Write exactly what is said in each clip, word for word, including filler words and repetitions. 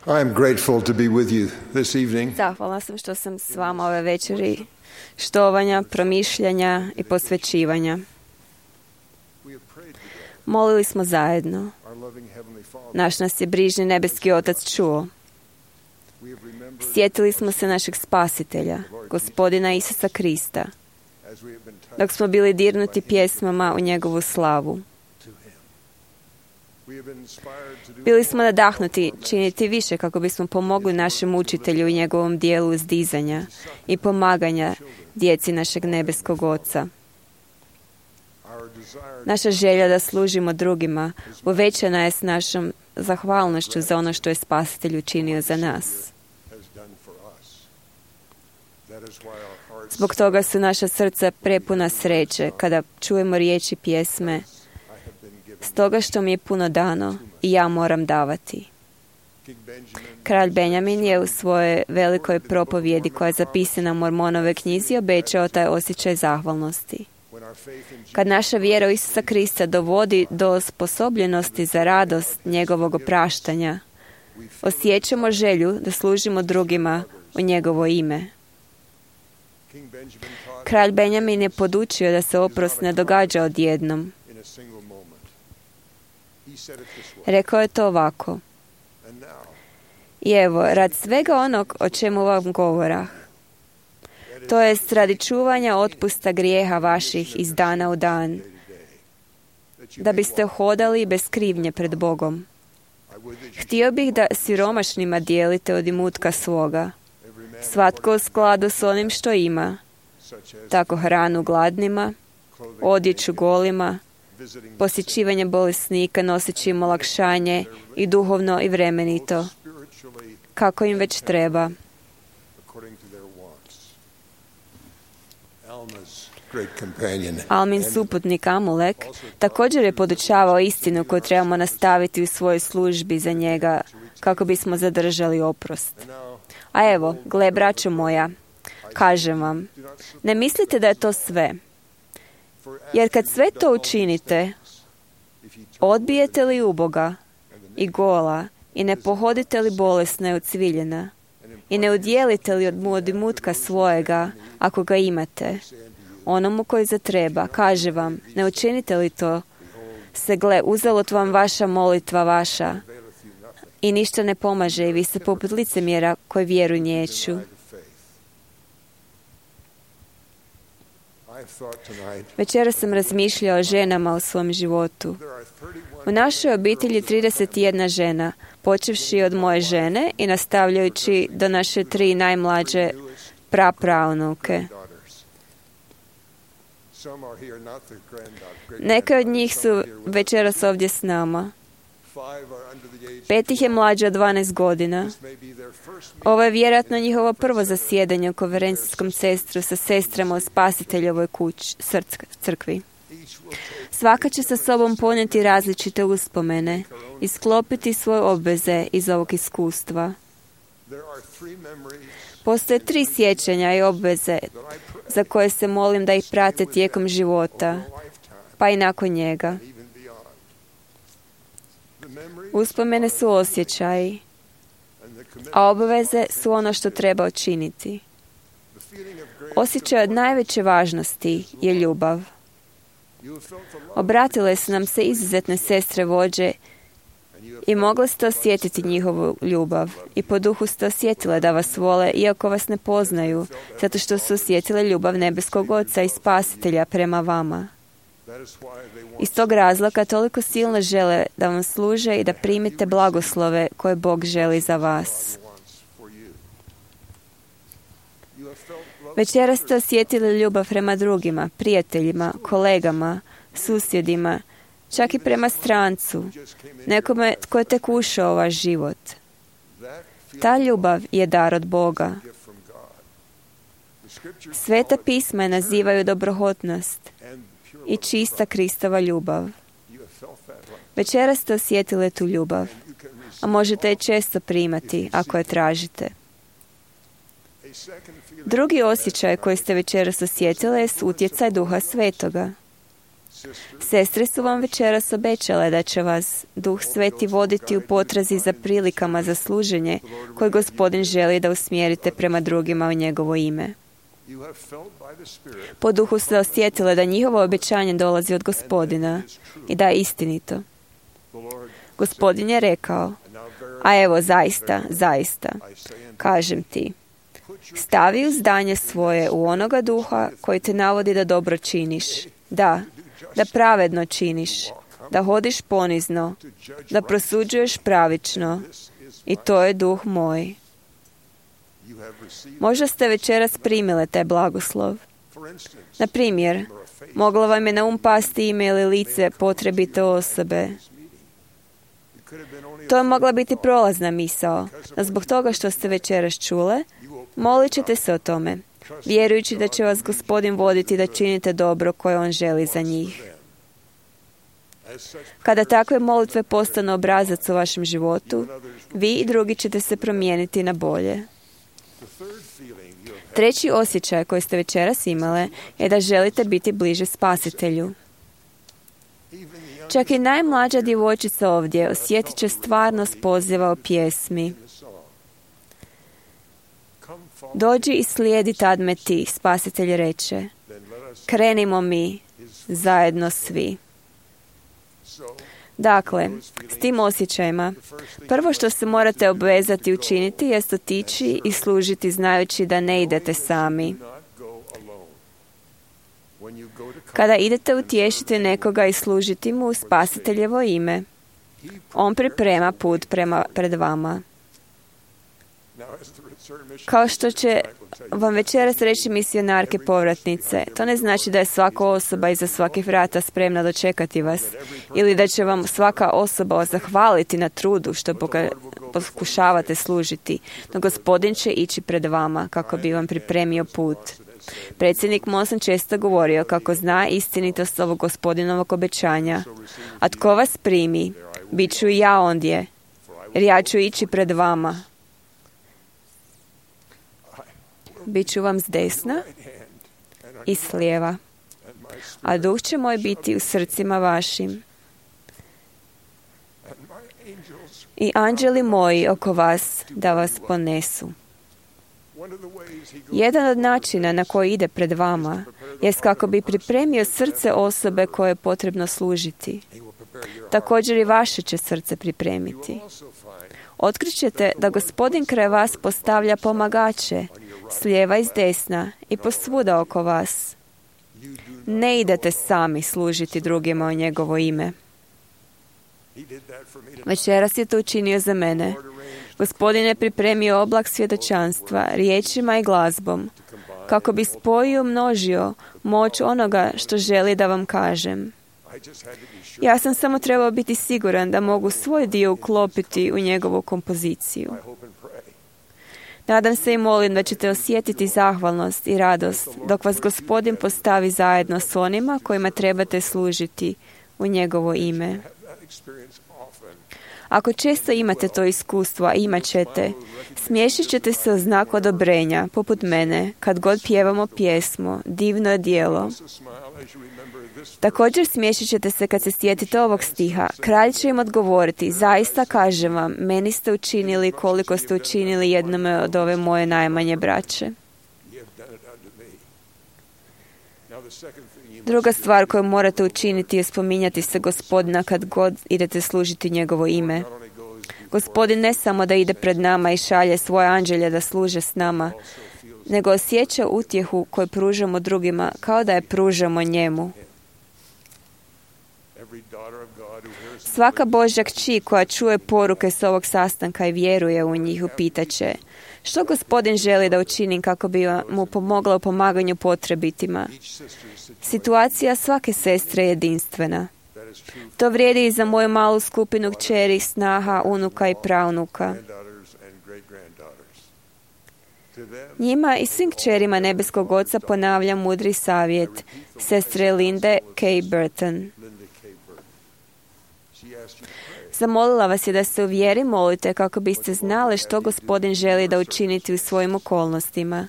I am grateful to be with you this evening. Zahvalna sam što sam s vama ove večeri štovanja, promišljanja i posvećivanja. Molili smo zajedno. Naš nas je brižni nebeski Otac čuo. Sjetili smo se našeg Spasitelja, Gospodina Isusa Krista, dok smo bili dirnuti pjesmama u njegovu slavu. Bili smo nadahnuti činiti više kako bismo pomogli našem učitelju i njegovom dijelu uzdizanja i pomaganja djeci našeg nebeskog Oca. Naša želja da služimo drugima uvećana je s našom zahvalnošću za ono što je Spasitelj učinio za nas. Zbog toga su naša srca prepuna sreće kada čujemo riječi pjesme: stoga što mi je puno dano i ja moram davati. Kralj Benjamin je u svojoj velikoj propovjedi koja je zapisana u Mormonove knjizi obećao taj osjećaj zahvalnosti. Kad naša vjera u Isusa Krista dovodi do osposobljenosti za radost njegovog opraštanja, osjećamo želju da služimo drugima u njegovo ime. Kralj Benjamin je podučio da se oprost ne događa odjednom. Rekao je to ovako: i evo, rad svega onog o čemu vam govorah, to je radi čuvanja otpusta grijeha vaših iz dana u dan, da biste hodali bez krivnje pred Bogom. Htio bih da siromašnima dijelite od imutka svoga, svatko u skladu s onim što ima, tako hranu gladnima, odjeću golima, posjećivanje bolesnika noseći im olakšanje i duhovno i vremenito, kako im već treba. Almin suputnik Amulek također je podučavao istinu koju trebamo nastaviti u svojoj službi za njega kako bismo zadržali oprost. A evo, gle, braćo moja, kažem vam, ne mislite da je to sve. Jer kad sve to učinite, odbijete li uboga i gola i ne pohodite li bolesna i ucviljena i ne udjelite li mu od imutka svojega, ako ga imate, onomu koji zatreba, kaže vam, ne učinite li to, se gle, uzalud vam vaša molitva vaša i ništa ne pomaže i vi ste poput licemjera koji vjeru niječu. Večera sam razmišljao o ženama u svom životu. U našoj obitelji trideset jedna žena, počevši od moje žene i nastavljajući do naše tri najmlađe prapravnuke. Neke od njih su večeras ovdje s nama. Pet ih je mlađe od dvanaest godina. Ovo je vjerojatno njihovo prvo zasjedanje u konferencijskom centru sa sestrama u Spasiteljovoj kući, crkvi. Svaka će sa sobom ponijeti različite uspomene i sklopiti svoje obveze iz ovog iskustva. Postoje tri sjećanja i obveze za koje se molim da ih prate tijekom života, pa i nakon njega. Uspomene su osjećaji, a obveze su ono što treba učiniti. Osjećaj od najveće važnosti je ljubav. Obratile su nam se izuzetne sestre vođe i mogle ste osjetiti njihovu ljubav i po duhu ste osjetile da vas vole iako vas ne poznaju, zato što su osjetile ljubav nebeskog Oca i Spasitelja prema vama. Iz tog razloga toliko silno žele da vam služe i da primite blagoslove koje Bog želi za vas. Večeras ste osjetili ljubav prema drugima, prijateljima, kolegama, susjedima, čak i prema strancu, nekome tko je tek ušao u vaš život. Ta ljubav je dar od Boga. Sveta pisma je nazivaju dobrohotnost i čista Kristova ljubav. Večeras ste osjetili tu ljubav, a možete je često primati ako je tražite. Drugi osjećaj koji ste večeras osjetili je utjecaj Duha Svetoga. Sestre su vam večeras obećale da će vas Duh Sveti voditi u potrazi za prilikama za služenje koje Gospodin želi da usmjerite prema drugima u njegovo ime. Po Duhu ste osjetile da njihovo obećanje dolazi od Gospodina i da je istinito. Gospodin je rekao, a evo zaista, zaista, kažem ti, stavi uzdanje svoje u onoga duha koji te navodi da dobro činiš, da, da pravedno činiš, da hodiš ponizno, da prosuđuješ pravično, i to je duh moj. Možda ste večeras primile taj blagoslov. Na primjer, moglo vam je na um pasti ime ili lice potrebite osobe. To je mogla biti prolazna misao, no zbog toga što ste večeras čule, molit ćete se o tome, vjerujući da će vas Gospodin voditi da činite dobro koje On želi za njih. Kada takve molitve postanu obrazac u vašem životu, vi i drugi ćete se promijeniti na bolje. Treći osjećaj koji ste večeras imale je da želite biti bliže Spasitelju. Čak i najmlađa djevojčica ovdje osjetit će stvarnost poziva o pjesmi. Dođi i slijedi tad me ti, Spasitelj reče. Krenimo mi zajedno svi. Dakle, s tim osjećajima, prvo što se morate obvezati učiniti jest otići i služiti znajući da ne idete sami. Kada idete utješiti nekoga i služiti mu u Spasiteljevo ime, On priprema put prema, pred vama. Kao što će vam večeras reći misionarke povratnice, to ne znači da je svaka osoba iza svakih vrata spremna dočekati vas, ili da će vam svaka osoba zahvaliti na trudu što pokušavate služiti, no Gospodin će ići pred vama kako bi vam pripremio put. Predsjednik Monson često govorio kako zna istinitost ovog Gospodinovog obećanja. A tko vas primi, bit ću i ja ondje, jer ja ću ići pred vama. Biću vam s desna i s lijeva, a duh će moj biti u srcima vašim. I anđeli moji oko vas da vas ponesu. Jedan od načina na koji ide pred vama jest kako bi pripremio srce osobe koje je potrebno služiti. Također i vaše će srce pripremiti. Otkrićete da Gospodin kraj vas postavlja pomagače s lijeva i s desna i posvuda oko vas. Ne idete sami služiti drugima u njegovo ime. Večeras je to učinio za mene. Gospodin je pripremio oblak svjedočanstva riječima i glazbom, kako bi spojio množio moć onoga što želi da vam kažem. Ja sam samo trebao biti siguran da mogu svoj dio uklopiti u njegovu kompoziciju. Nadam se i molim da ćete osjetiti zahvalnost i radost dok vas Gospodin postavi zajedno s onima kojima trebate služiti u njegovo ime. Ako često imate to iskustvo, a imat ćete, smiješit ćete se u znak odobrenja, poput mene, kad god pjevamo pjesmu, divno je djelo. Također smiješit ćete se kad se sjetite ovog stiha. Kralj će im odgovoriti, zaista kažem vam, meni ste učinili koliko ste učinili jednome od ove moje najmanje braće. Druga stvar koju morate učiniti je spominjati se Gospodina kad god idete služiti njegovo ime. Gospodin ne samo da ide pred nama i šalje svoje anđelje da služe s nama, nego osjeća utjehu koju pružamo drugima kao da je pružamo njemu. Svaka Božja kći koja čuje poruke s ovog sastanka i vjeruje u njih upitaće, što Gospodin želi da učinim kako bi mu pomogla u pomaganju potrebitima. Situacija svake sestre je jedinstvena. To vrijedi i za moju malu skupinu kćeri, snaha, unuka i praunuka. Njima i svim kćerima nebeskog Oca ponavljam mudri savjet sestre Linde K. Burton. Zamolila vas je da se u vjeri molite kako biste znali što Gospodin želi da učiniti u svojim okolnostima.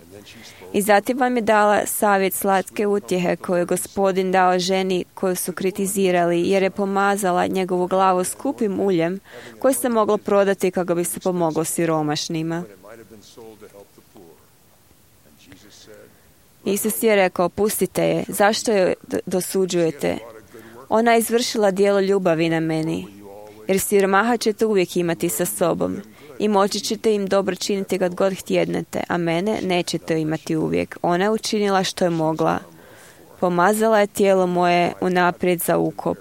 I zatim vam je dala savjet slatke utjehe koju je Gospodin dao ženi koju su kritizirali, jer je pomazala njegovu glavu skupim uljem koje se moglo prodati kako bi se pomoglo siromašnima. Isus je rekao, pustite je, zašto je dosuđujete? Ona je izvršila djelo ljubavi na meni, jer siromaha ćete uvijek imati sa sobom i moći ćete im dobro činiti kad god htjednete, a mene nećete imati uvijek. Ona je učinila što je mogla. Pomazala je tijelo moje unaprijed za ukop.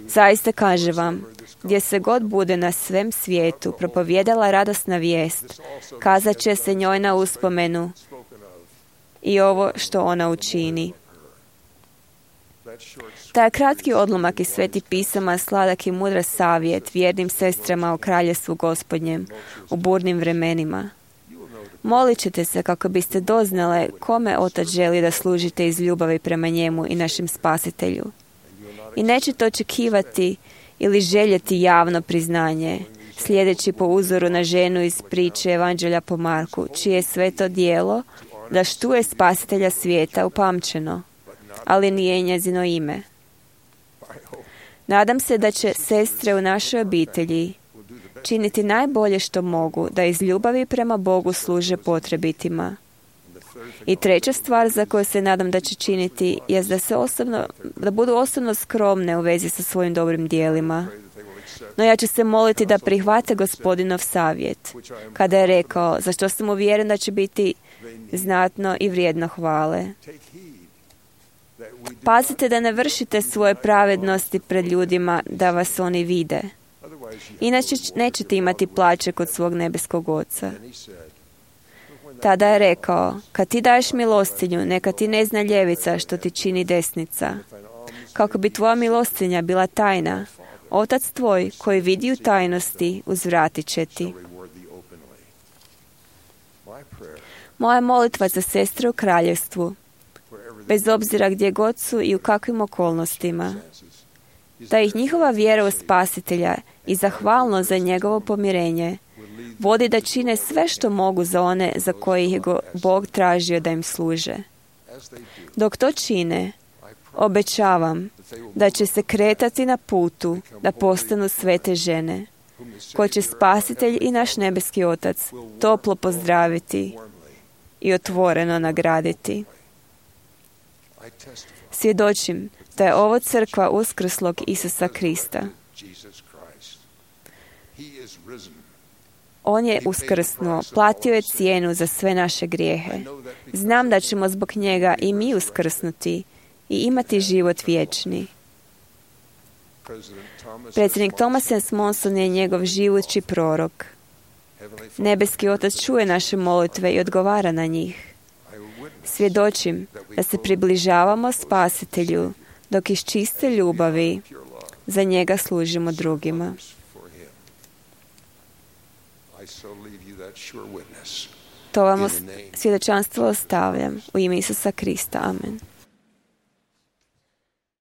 Zaista kaže vam, gdje se god bude na svem svijetu propovijedala radosna vijest, kazat će se njoj na uspomenu i ovo što ona učini. Taj kratki odlomak iz Svetih pisama sladak i mudra savjet vjernim sestrama o kraljevstvu Gospodnjem u burnim vremenima. Molit ćete se kako biste doznale kome Otac želi da služite iz ljubavi prema njemu i našem Spasitelju. I nećete očekivati ili željeti javno priznanje, slijedeći po uzoru na ženu iz priče Evanđelja po Marku, čije je sve to djelo da štuje Spasitelja svijeta upamćeno, ali nije njezino ime. Nadam se da će sestre u našoj obitelji činiti najbolje što mogu da iz ljubavi prema Bogu služe potrebitima. I treća stvar za koju se nadam da će činiti je da, se osobno, da budu osobno skromne u vezi sa svojim dobrim dijelima. No ja ću se moliti da prihvate Gospodinov savjet, kada je rekao, za što sam uvjeren da će biti znatno i vrijedno hvale. Pazite da ne vršite svoje pravednosti pred ljudima da vas oni vide. Inače nećete imati plaće kod svog nebeskog Oca. Tada je rekao, kad ti daješ milostinju, neka ti ne zna ljevica što ti čini desnica. Kako bi tvoja milostinja bila tajna, Otac tvoj koji vidi u tajnosti uzvratit će ti. Moja molitva za sestre u kraljevstvu, bez obzira gdje god su i u kakvim okolnostima, da ih njihova vjera u Spasitelja i zahvalno za njegovo pomirenje vodi da čine sve što mogu za one za koje ih je Bog tražio da im služe. Dok to čine, obećavam da će se kretati na putu da postanu svete žene, koje će Spasitelj i naš nebeski Otac toplo pozdraviti i otvoreno nagraditi. Svjedočim da je ovo crkva uskrslog Isusa Krista. On je uskrsnuo, platio je cijenu za sve naše grijehe. Znam da ćemo zbog njega i mi uskrsnuti i imati život vječni. Predsjednik Thomas S. Monson je njegov živući prorok. Nebeski Otac čuje naše molitve i odgovara na njih. Svjedočim da se približavamo Spasitelju dok iz čiste ljubavi za njega služimo drugima. To vam svjedočanstvo ostavljam u ime Isusa Krista. Amen.